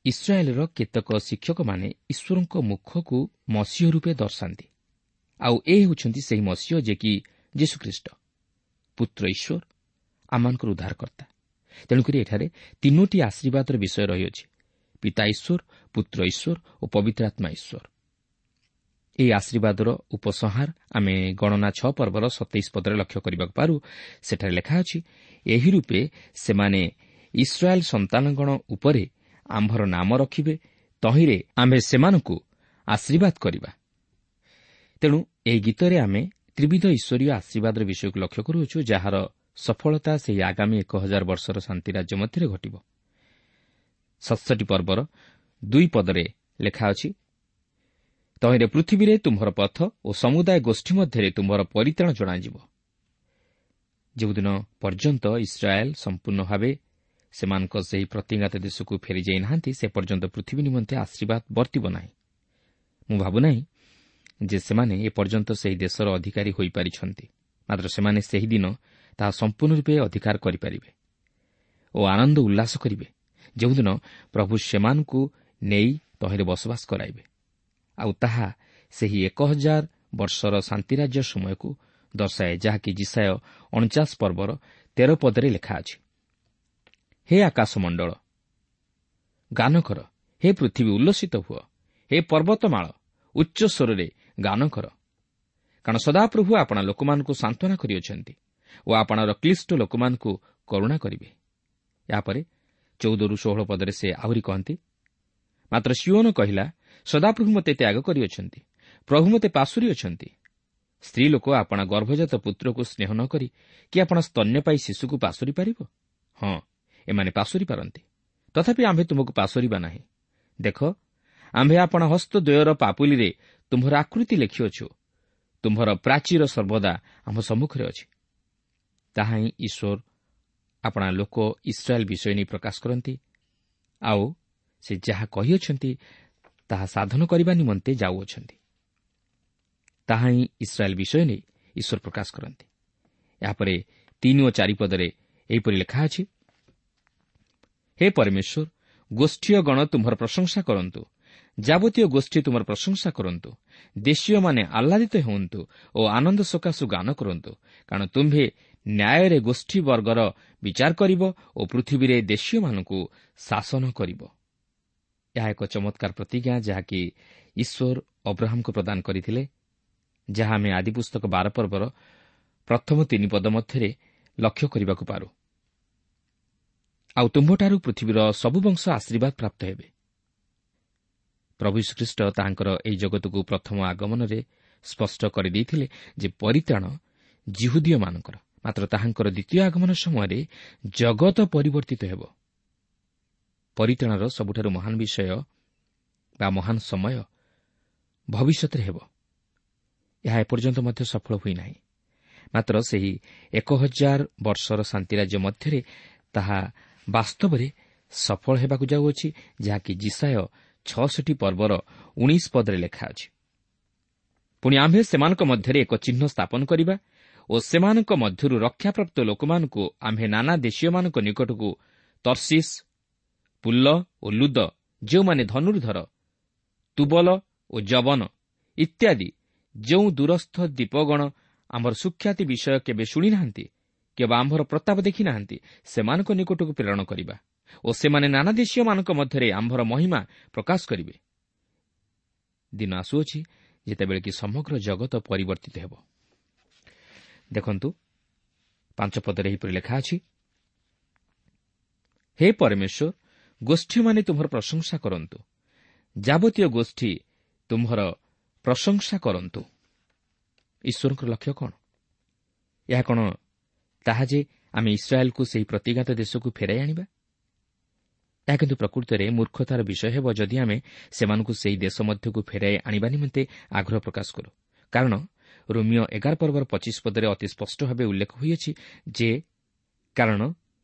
ଇସ୍ରାଏଲର କେତେକ ଶିକ୍ଷକମାନେ ଈଶ୍ୱରଙ୍କ ମୁଖକୁ ମସିହ ରୂପେ ଦର୍ଶାନ୍ତି, ଆଉ ଏ ହେଉଛନ୍ତି ସେହି ମସିହ ଯେ କି ଯୀଶୁଖ୍ରୀଷ୍ଟ, ପୁତ୍ର ଈଶ୍ୱର, ଆମମାନଙ୍କର ଉଦ୍ଧାରକର୍ତ୍ତା। ତେଣୁକରି ଏଠାରେ ତିନୋଟି ଆଶୀର୍ବାଦର ବିଷୟ ରହିଅଛି, ପିତା ଈଶ୍ୱର, ପୁତ୍ର ଈଶ୍ୱର ଓ ପବିତ୍ର ଆତ୍ମା ଈଶ୍ୱର। ଏହି ଆଶୀର୍ବାଦର ଉପସଂହାର ଆମେ ଗଣନା ଛଅ ପର୍ବର ସତେଇଶ ପଦରେ ଲକ୍ଷ୍ୟ କରିବାକୁ ପାରୁ। ସେଠାରେ ଲେଖା ଅଛି, ଏହି ରୂପେ ସେମାନେ ଇସ୍ରାଏଲ୍ ସନ୍ତାନଗଣ ଉପରେ ଆମ୍ଭର ନାମ ରଖିବେ, ତହିଁରେ ଆମ୍ଭେ ସେମାନଙ୍କୁ ଆଶୀର୍ବାଦ କରିବା। ତେଣୁ ଏହି ଗୀତରେ ଆମେ ତ୍ରିବିଧ ଈଶ୍ୱରୀୟ ଆଶୀର୍ବାଦର ବିଷୟକୁ ଲକ୍ଷ୍ୟ କରୁଅଛୁ, ଯାହାର ସଫଳତା ସେହି ଆଗାମୀ ଏକ ହଜାର ବର୍ଷର ଶାନ୍ତି ରାଜ୍ୟ ମଧ୍ୟରେ ଘଟିବ। ସତଷଠି ପର୍ବର ଦୁଇ ପଦରେ ଲେଖା ଅଛି, ତହିଁରେ ପୃଥିବୀରେ ତୁମ୍ଭର ପଥ ଓ ସମୁଦାୟ ଗୋଷ୍ଠୀ ମଧ୍ୟରେ ତୁମ୍ଭର ପରିତ୍ରାଣ ଜଣାଯିବ। ଯେଉଁଦିନ ପର୍ଯ୍ୟନ୍ତ ଇସ୍ରାଏଲ୍ ସମ୍ପୂର୍ଣ୍ଣ ଭାବେ ସେମାନଙ୍କ ସେହି ପ୍ରତିଜ୍ଞାତ ଦେଶକୁ ଫେରିଯାଇ ନାହାନ୍ତି, ସେ ପର୍ଯ୍ୟନ୍ତ ପୃଥିବୀ ନିମନ୍ତେ ଆଶୀର୍ବାଦ ବର୍ତ୍ତିବ ନାହିଁ। ମୁଁ ଭାବୁନାହିଁ ଯେ ସେମାନେ ଏପର୍ଯ୍ୟନ୍ତ ସେହି ଦେଶର ଅଧିକାରୀ ହୋଇପାରିଛନ୍ତି। ମାତ୍ର ସେମାନେ ସେହିଦିନ ତାହା ସମ୍ପୂର୍ଣ୍ଣ ରୂପେ ଅଧିକାର କରିପାରିବେ ଓ ଆନନ୍ଦ ଉଲ୍ଲାସ କରିବେ, ଯେଉଁଦିନ ପ୍ରଭୁ ସେମାନଙ୍କୁ ନେଇ ତହିଁରେ ବସବାସ କରାଇବେ। ଆଉ ତାହା ସେହି ଏକ ହଜାର ବର୍ଷର ଶାନ୍ତିରାଜ୍ୟ ସମୟକୁ ଦର୍ଶାଏ, ଯାହାକି ଯିଶାଇୟ ଅଣଚାଶ ପର୍ବର ତେର ପଦରେ ଲେଖା ଅଛି। ହେ ଆକାଶମଣ୍ଡଳ, ଗାନ କର, ହେ ପୃଥିବୀ ଉଲ୍ଲସିତ ହୁଅ, ହେ ପର୍ବତମାଳ ଉଚ୍ଚ ସ୍ୱରରେ ଗାନ କର, କାରଣ ସଦାପ୍ରଭୁ ଆପଣା ଲୋକମାନଙ୍କୁ ସାନ୍ତ୍ୱନା କରିଅଛନ୍ତି ଓ ଆପଣାର କ୍ଲିଷ୍ଟ ଲୋକମାନଙ୍କୁ କରୁଣା କରିବେ। ଏହାପରେ ଚଉଦରୁ ଷୋହଳ ପଦରେ ସେ ଆହୁରି କହନ୍ତି, ମାତ୍ର ସିଓନ କହିଲା, ସଦାପ୍ରଭୁ ମୋତେ ତ୍ୟାଗ କରିଅଛନ୍ତି, ପ୍ରଭୁ ମୋତେ ପାଶୋରି ଅଛନ୍ତି। ସ୍ତ୍ରୀ ଲୋକ ଆପଣା ଗର୍ଭଜାତ ପୁତ୍ରକୁ ସ୍ନେହ ନ କରି କି ଆପଣା ସ୍ତନ୍ୟପାୟୀ ଶିଶୁକୁ ପାଶୋରି ପାରିବ? ହଁ, ଏମାନେ ପାଶୋରି ପାରନ୍ତି, ତଥାପି ଆମ୍ଭେ ତୁମକୁ ପାଶୋରିବା ନାହିଁ। ଦେଖ, ଆମ୍ଭେ ଆପଣା ହସ୍ତଦ୍ୱୟର ପାପୁଲିରେ ତୁମ୍ଭର ଆକୃତି ଲେଖିଅଛୁ, ତୁମ୍ଭର ପ୍ରାଚୀର ସର୍ବଦା ଆମ୍ଭ ସମ୍ମୁଖରେ ଅଛି। ତାହା ହିଁ ଈଶ୍ୱର ଆପଣା ଲୋକ ଇସ୍ରାଏଲ୍ ବିଷୟ ନେଇ ପ୍ରକାଶ କରନ୍ତି, ଆଉ ସେ ଯାହା କହିଅଛନ୍ତି ତାହା ସାଧନ କରିବା ନିମନ୍ତେ ଯାଉଅଛନ୍ତି। ତାହା ହିଁ ଇସ୍ରାଏଲ୍ ବିଷୟ ନେଇ ଈଶ୍ୱର ପ୍ରକାଶ କରନ୍ତି। ଏହାପରେ ତିନି ଓ ଚାରି ପଦରେ ଏହିପରି ଲେଖା ଅଛି, ହେ ପରମେଶ୍ୱର, ଗୋଷ୍ଠୀୟ ଗଣ ତୁମ୍ଭର ପ୍ରଶଂସା କରନ୍ତୁ, ଯାବତୀୟ ଗୋଷ୍ଠୀ ତୁମର ପ୍ରଶଂସା କରନ୍ତୁ, ଦେଶୀୟମାନେ ଆହ୍ଲାଦିତ ହୁଅନ୍ତୁ ଓ ଆନନ୍ଦ ସକାଶୁ ଗାନ କରନ୍ତୁ, କାରଣ ତୁମ୍ଭେ ନ୍ୟାୟରେ ଗୋଷ୍ଠୀ ବର୍ଗର ବିଚାର କରିବ ଓ ପୃଥିବୀରେ ଦେଶୀୟମାନଙ୍କୁ ଶାସନ କରିବ। ଏହା ଏକ ଚମତ୍କାର ପ୍ରତିଜ୍ଞା, ଯାହାକି ଈଶ୍ୱର ଅବ୍ରାହମଙ୍କୁ ପ୍ରଦାନ କରିଥିଲେ, ଯାହା ଆମେ ଆଦିପୁସ୍ତକ ବାର ପର୍ବର ପ୍ରଥମ ତିନି ପଦ ମଧ୍ୟରେ ଲକ୍ଷ୍ୟ କରିବାକୁ ପାରୁ। ଆଉ ତୁମ୍ଭଠାରୁ ପୃଥିବୀର ସବୁ ବଂଶ ଆଶୀର୍ବାଦ ପ୍ରାପ୍ତ ହେବେ। ପ୍ରଭୁ ଯୀଶୁଖ୍ରୀଷ୍ଟ ତାହାଙ୍କର ଏହି ଜଗତକୁ ପ୍ରଥମ ଆଗମନରେ ସ୍ପଷ୍ଟ କରିଦେଇଥିଲେ ଯେ ପରିତ୍ରାଣ ଯିହୁଦୀୟମାନଙ୍କର, ମାତ୍ର ତାହାଙ୍କର ଦ୍ୱିତୀୟ ଆଗମନ ସମୟରେ ଜଗତ ପରିବର୍ତ୍ତିତ ହେବ। ପରିତ୍ରାଣର ସବୁଠାରୁ ମହାନ ବିଷୟ ବା ମହାନ ସମୟ ଭବିଷ୍ୟତରେ ହେବ। ଏହା ଏପର୍ଯ୍ୟନ୍ତ ମଧ୍ୟ ସଫଳ ହୋଇନାହିଁ, ମାତ୍ର ସେହି ଏକ ହଜାର ବର୍ଷର ଶାନ୍ତିରାଜ୍ୟ ମଧ୍ୟରେ ତାହା ବାସ୍ତବରେ ସଫଳ ହେବାକୁ ଯାଉଅଛି, ଯାହାକି ଯିଶାଇୟ ଛଅଷଠି ପର୍ବର ଉଣେଇଶ ପଦରେ ଲେଖା ଅଛି। ପୁଣି ଆମ୍ଭେ ସେମାନଙ୍କ ମଧ୍ୟରେ ଏକ ଚିହ୍ନ ସ୍ଥାପନ କରିବା ଓ ସେମାନଙ୍କ ମଧ୍ୟରୁ ରକ୍ଷାପ୍ରାପ୍ତ ଲୋକମାନଙ୍କୁ ଆମ୍ଭେ ନାନା ଦେଶୀୟମାନଙ୍କ ନିକଟକୁ ତର୍ଶିସ୍, ପୁଲ୍ଲ ଓ ଲୁଦ, ଯେଉଁମାନେ ଧନୁର୍ଧର, ତୁବଲ ଓ ଯବନ ଇତ୍ୟାଦି ଯେଉଁ ଦୂରସ୍ଥ ଦ୍ୱୀପଗଣ ଆମ୍ଭର ସୁଖ୍ୟାତି ବିଷୟ କେବେ ଶୁଣିନାହାନ୍ତି କିମ୍ବା ଆମ୍ଭର ପ୍ରତାପ ଦେଖିନାହାନ୍ତି, ସେମାନଙ୍କ ନିକଟକୁ ପ୍ରେରଣ କରିବା ଓ ସେମାନେ ନାନା ଦେଶୀୟମାନଙ୍କ ମଧ୍ୟରେ ଆମ୍ଭର ମହିମା ପ୍ରକାଶ କରିବେ। ଦିନ ଆସୁଅଛି ଯେତେବେଳେ କି ସମଗ୍ର ଜଗତ ପରିବର୍ତ୍ତିତ ହେବ। ଦେଖନ୍ତୁ, ପାଞ୍ଚ ପଦରେ ଏହିପରି ଲେଖା ଅଛି, ହେ ପରମେଶ୍ୱର, ଗୋଷ୍ଠୀମାନେ ତୁମ୍ଭର ପ୍ରଶଂସା କରନ୍ତୁ, ଯାବତୀୟ ଗୋଷ୍ଠୀ ତୁମ୍ଭର ପ୍ରଶଂସା କରନ୍ତୁ। ଈଶ୍ୱରଙ୍କର ଲକ୍ଷ୍ୟ କ'ଣ? ଏହା କ'ଣ ତାହା ଯେ ଆମେ ଇସ୍ରାଏଲକୁ ସେହି ପ୍ରତିଜ୍ଞାତ ଦେଶକୁ ଫେରାଇ ଆଣିବା? ଏହା କିନ୍ତୁ ପ୍ରକୃତରେ ମୂର୍ଖତାର ବିଷୟ ହେବ ଯଦି ଆମେ ସେମାନଙ୍କୁ ସେହି ଦେଶ ମଧ୍ୟକୁ ଫେରାଇ ଆଣିବା ନିମନ୍ତେ ଆଗ୍ରହ ପ୍ରକାଶ କରୁ। କାରଣ ରୋମୀୟ ଏଗାର ପର୍ବର ପଚିଶ ପଦରେ ଅତି ସ୍ପଷ୍ଟ ଭାବେ ଉଲ୍ଲେଖ ହୋଇଅଛି ଯେ, କାରଣ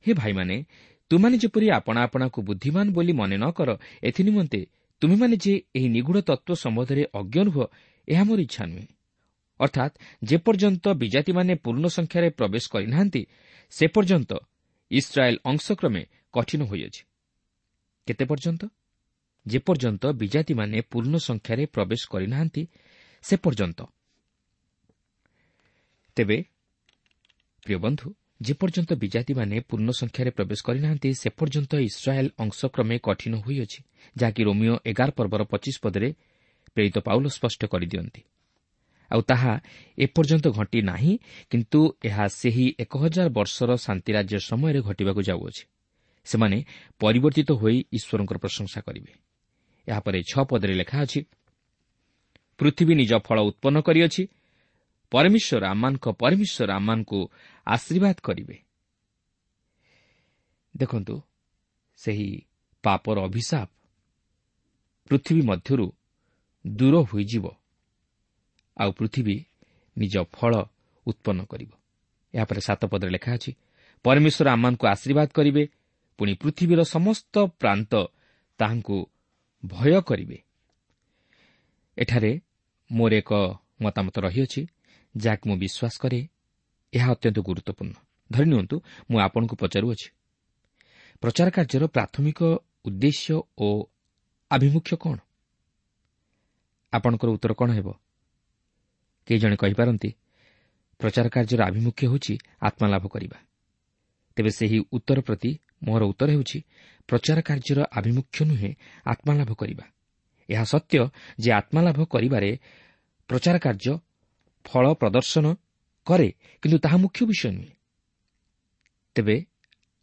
ହେ ଭାଇମାନେ, ତୁମାନେ ଯେପରି ଆପଣା ଆପଣାକୁ ବୁଦ୍ଧିମାନ ବୋଲି ମନେ ନ କର, ଏଥିନିମନ୍ତେ ତୁମେମାନେ ଯେ ଏହି ନିଗୂଢ଼ ତତ୍ତ୍ୱ ସମ୍ବନ୍ଧରେ ଅଜ୍ଞ ରୁହ, ଏହା ମୋର ଇଚ୍ଛା ନୁହେଁ। ଅର୍ଥାତ୍ ଯେପର୍ଯ୍ୟନ୍ତ ବିଜାତିମାନେ ପୂର୍ଣ୍ଣ ସଂଖ୍ୟାରେ ପ୍ରବେଶ କରିନାହାନ୍ତି, ସେ ପର୍ଯ୍ୟନ୍ତ ଇସ୍ରାଏଲ୍ ଅଂଶକ୍ରମେ କଠିନ ହୋଇଅଛି। କେତେ ପର୍ଯ୍ୟନ୍ତ? ଯେପର୍ଯ୍ୟନ୍ତ ବିଜାତିମାନେ ପୂର୍ଣ୍ଣ ସଂଖ୍ୟାରେ ପ୍ରବେଶ କରିନାହାନ୍ତି ସେ ପର୍ଯ୍ୟନ୍ତ। ତେବେ ପ୍ରିୟ ବନ୍ଧୁ, ଯେପର୍ଯ୍ୟନ୍ତ ବିଜାତିମାନେ ପୂର୍ଣ୍ଣ ସଂଖ୍ୟାରେ ପ୍ରବେଶ କରିନାହାନ୍ତି ସେ ପର୍ଯ୍ୟନ୍ତ ଇସ୍ରାଏଲ୍ ଅଂଶକ୍ରମେ କଠିନ ହୋଇଅଛି, ଯାହାକି ରୋମୀୟ ଏଗାର ପର୍ବର ପଚିଶ ପଦରେ ପ୍ରେରିତ ପାଉଲ ସ୍ପଷ୍ଟ କରିଦିଅନ୍ତି। ଆଉ ତାହା ଏପର୍ଯ୍ୟନ୍ତ ଘଟି ନାହିଁ, କିନ୍ତୁ ଏହା ସେହି ଏକ ହଜାର ବର୍ଷର ଶାନ୍ତିରାଜ୍ୟ ସମୟରେ ଘଟିବାକୁ ଯାଉଅଛି। ସେମାନେ ପରିବର୍ତ୍ତିତ ହୋଇ ଈଶ୍ୱରଙ୍କର ପ୍ରଶଂସା କରିବେ। ଏହାପରେ ଛଅ ପଦରେ ଲେଖା ଅଛି, ପୃଥିବୀ ନିଜ ଫଳ ଉତ୍ପନ୍ନ କରିଅଛି, ପରମେଶ୍ୱର ଆମମାନଙ୍କ ପରମେଶ୍ୱର ଆମମାନଙ୍କୁ ଆଶୀର୍ବାଦ କରିବେ। ଦେଖନ୍ତୁ, ସେହି ପାପର ଅଭିଶାପ ପୃଥିବୀ ମଧ୍ୟରୁ ଦୂର ହୋଇଯିବ ଆଉ ପୃଥିବୀ ନିଜ ଫଳ ଉତ୍ପନ୍ନ କରିବ। ଏହାପରେ ସାତ ପଦରେ ଲେଖା ଅଛି, ପରମେଶ୍ୱର ଆମମାନଙ୍କୁ ଆଶୀର୍ବାଦ କରିବେ, ପୁଣି ପୃଥିବୀର ସମସ୍ତ ପ୍ରାନ୍ତ ତାହାଙ୍କୁ ଭୟ କରିବେ। ଏଠାରେ ମୋର ଏକ ମତାମତ ରହିଅଛି, ଯାହାକୁ ମୁଁ ବିଶ୍ୱାସ କରେ ଏହା ଅତ୍ୟନ୍ତ ଗୁରୁତ୍ୱପୂର୍ଣ୍ଣ। ଧରିନିଅନ୍ତୁ ମୁଁ ଆପଣଙ୍କୁ ପଚାରୁଅଛି, ପ୍ରଚାର କାର୍ଯ୍ୟର ପ୍ରାଥମିକ ଉଦ୍ଦେଶ୍ୟ ଓ ଆଭିମୁଖ୍ୟ କ'ଣ? ଆପଣଙ୍କର ଉତ୍ତର କ'ଣ ହେବ? କେହି ଜଣେ କହିପାରନ୍ତି, ପ୍ରଚାର କାର୍ଯ୍ୟର ଆଭିମୁଖ୍ୟ ହେଉଛି ଆତ୍ମାଲାଭ କରିବା। ତେବେ ସେହି ଉତ୍ତର ପ୍ରତି ମୋର ଉତ୍ତର ହେଉଛି, ପ୍ରଚାର କାର୍ଯ୍ୟର ଆଭିମୁଖ୍ୟ ନୁହେଁ ଆତ୍ମାଲାଭ କରିବା। ଏହା ସତ୍ୟ ଯେ ଆତ୍ମାଲାଭ କରିବାରେ ପ୍ରଚାର କାର୍ଯ୍ୟ ଫଳ ପ୍ରଦର୍ଶନ କରେ, କିନ୍ତୁ ତାହା ମୁଖ୍ୟ ବିଷୟ ନୁହେଁ। ତେବେ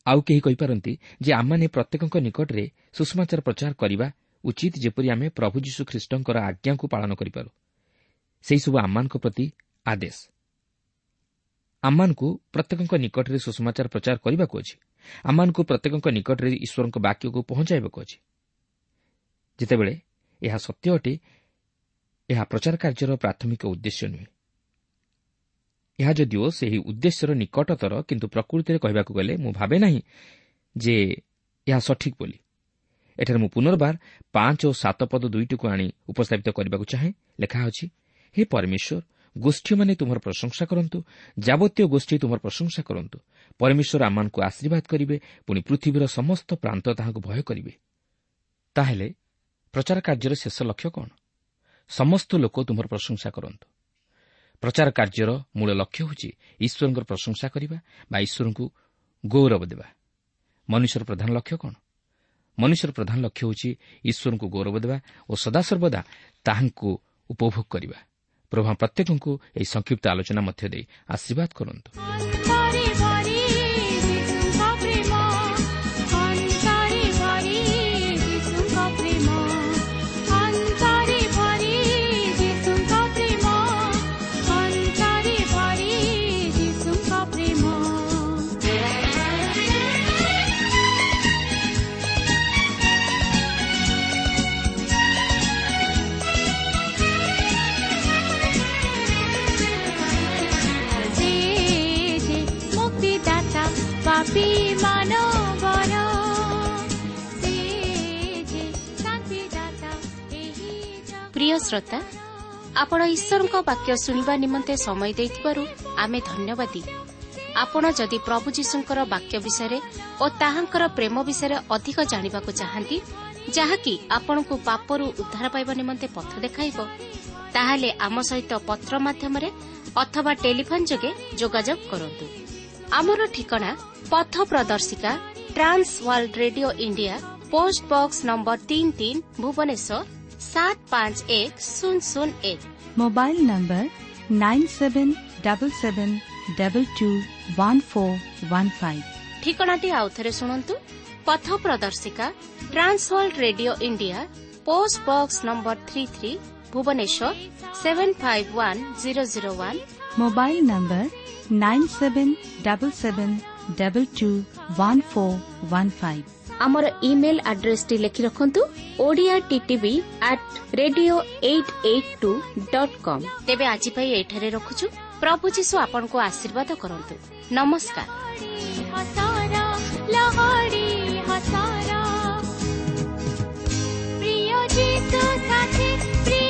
ଆଉ କେହି କହିପାରନ୍ତି ଯେ ଆମମାନେ ପ୍ରତ୍ୟେକଙ୍କ ନିକଟରେ ସୁସମାଚାର ପ୍ରଚାର କରିବା ଉଚିତ, ଯେପରି ଆମେ ପ୍ରଭୁ ଯୀଶୁ ଖ୍ରୀଷ୍ଟଙ୍କର ଆଜ୍ଞାକୁ ପାଳନ କରିପାରୁ। ସେହିସବୁ ଆମମାନଙ୍କ ପ୍ରତି ଆଦେଶ। ଆମମାନଙ୍କୁ ପ୍ରତ୍ୟେକଙ୍କ ନିକଟରେ ସୁସମାଚାର ପ୍ରଚାର କରିବାକୁ ଅଛି। ଆମମାନଙ୍କୁ ପ୍ରତ୍ୟେକଙ୍କ ନିକଟରେ ଈଶ୍ୱରଙ୍କ ବାକ୍ୟକୁ ପହଞ୍ଚାଇବାକୁ ଅଛି। ଯେତେବେଳେ ଏହା ସତ୍ୟ ଅଟେ, ଏହା ପ୍ରଚାର କାର୍ଯ୍ୟର ପ୍ରାଥମିକ ଉଦ୍ଦେଶ୍ୟ ନୁହେଁ। ଏହା ଯଦିଓ ସେହି ଉଦ୍ଦେଶ୍ୟର ନିକଟତର, କିନ୍ତୁ ପ୍ରକୃତିରେ କହିବାକୁ ଗଲେ ମୁଁ ଭାବେ ନାହିଁ ଯେ ଏହା ସଠିକ୍ ବୋଲି। ଏଠାରେ ମୁଁ ପୁନର୍ବାର ପାଞ୍ଚ ଓ ସାତ ପଦ ଦୁଇଟିକୁ ଆଣି ଉପସ୍ଥାପିତ କରିବାକୁ ଚାହେଁ। ଲେଖା ଅଛି, ହେ ପରମେଶ୍ୱର, ଗୋଷ୍ଠୀମାନେ ତୁମର ପ୍ରଶଂସା କରନ୍ତୁ, ଯାବତୀୟ ଗୋଷ୍ଠୀ ତୁମର ପ୍ରଶଂସା କରନ୍ତୁ। ପରମେଶ୍ୱର ଆମମାନଙ୍କୁ ଆଶୀର୍ବାଦ କରିବେ, ପୁଣି ପୃଥିବୀର ସମସ୍ତ ପ୍ରାନ୍ତ ତାହାଙ୍କୁ ଭୟ କରିବେ। ତାହେଲେ ପ୍ରଚାର କାର୍ଯ୍ୟର ଶେଷ ଲକ୍ଷ୍ୟ କ'ଣ? ସମସ୍ତ ଲୋକ ତୁମର ପ୍ରଶଂସା କରନ୍ତୁ। ପ୍ରଚାର କାର୍ଯ୍ୟର ମୂଳ ଲକ୍ଷ୍ୟ ହେଉଛି ଈଶ୍ୱରଙ୍କର ପ୍ରଶଂସା କରିବା ବା ଈଶ୍ୱରଙ୍କୁ ଗୌରବ ଦେବା। ମନୁଷ୍ୟର ପ୍ରଧାନ ଲକ୍ଷ୍ୟ କ'ଣ? ମନୁଷ୍ୟର ପ୍ରଧାନ ଲକ୍ଷ୍ୟ ହେଉଛି ଈଶ୍ୱରଙ୍କୁ ଗୌରବ ଦେବା ଓ ସଦାସର୍ବଦା ତାହାଙ୍କୁ ଉପଭୋଗ କରିବା। ପ୍ରଭୁ ପ୍ରତ୍ୟେକଙ୍କୁ ଏହି ସଂକ୍ଷିପ୍ତ ଆଲୋଚନା ମଧ୍ୟ ଦେଇ ଆଶୀର୍ବାଦ କରନ୍ତୁ। ପ୍ରିୟ ଶ୍ରୋତା, ଆପଣ ଈଶ୍ୱରଙ୍କ ବାକ୍ୟ ଶୁଣିବା ନିମନ୍ତେ ସମୟ ଦେଇଥିବାରୁ ଆମେ ଧନ୍ୟବାଦୀ। ଆପଣ ଯଦି ପ୍ରଭୁ ଯୀଶୁଙ୍କର ବାକ୍ୟ ବିଷୟରେ ଓ ତାହାଙ୍କର ପ୍ରେମ ବିଷୟରେ ଅଧିକ ଜାଣିବାକୁ ଚାହାନ୍ତି, ଯାହାକି ଆପଣଙ୍କୁ ପାପରୁ ଉଦ୍ଧାର ପାଇବା ନିମନ୍ତେ ପଥ ଦେଖାଇବ, ତାହେଲେ ଆମ ସହିତ ପତ୍ର ମାଧ୍ୟମରେ ଅଥବା ଟେଲିଫୋନ୍ ଯୋଗେ ଯୋଗାଯୋଗ କରନ୍ତୁ। ଆମର ଠିକଣା ପଥ ପ୍ରଦର୍ଶିକା, Trans World Radio India, post box number ତିନି ତିନି, ଭୁବନେଶ୍ୱର ସାତ ପାଞ୍ଚ ଏକ ଶୂନ ଶୂନ ଏକ। Mobile number nine seven double seven double two one four one five. ଠିକଣାଟି ଆଉଥରେ ଶୁଣନ୍ତୁ। ପଥ ପ୍ରଦର୍ଶିକା, Trans World Radio India, post box number three three, Bhubaneswar seven five one zero zero one. Mobile number nine seven double seven double two one four one five. ଆମର email ଆଡ୍ରେସଟି ଲେଖି ରଖନ୍ତୁ, Odia TTV at radio eight eight two dot com. ତେବେ ଆଜି ପାଇଁ ଏଠାରେ ରଖୁଛୁ। ପ୍ରଭୁ ଯୀଶୁ ଆପଣଙ୍କୁ ଆଶୀର୍ବାଦ କରନ୍ତୁ। ନମସ୍କାର। ପ୍ରିୟ ଯୀଶୁ ସାଥୀ।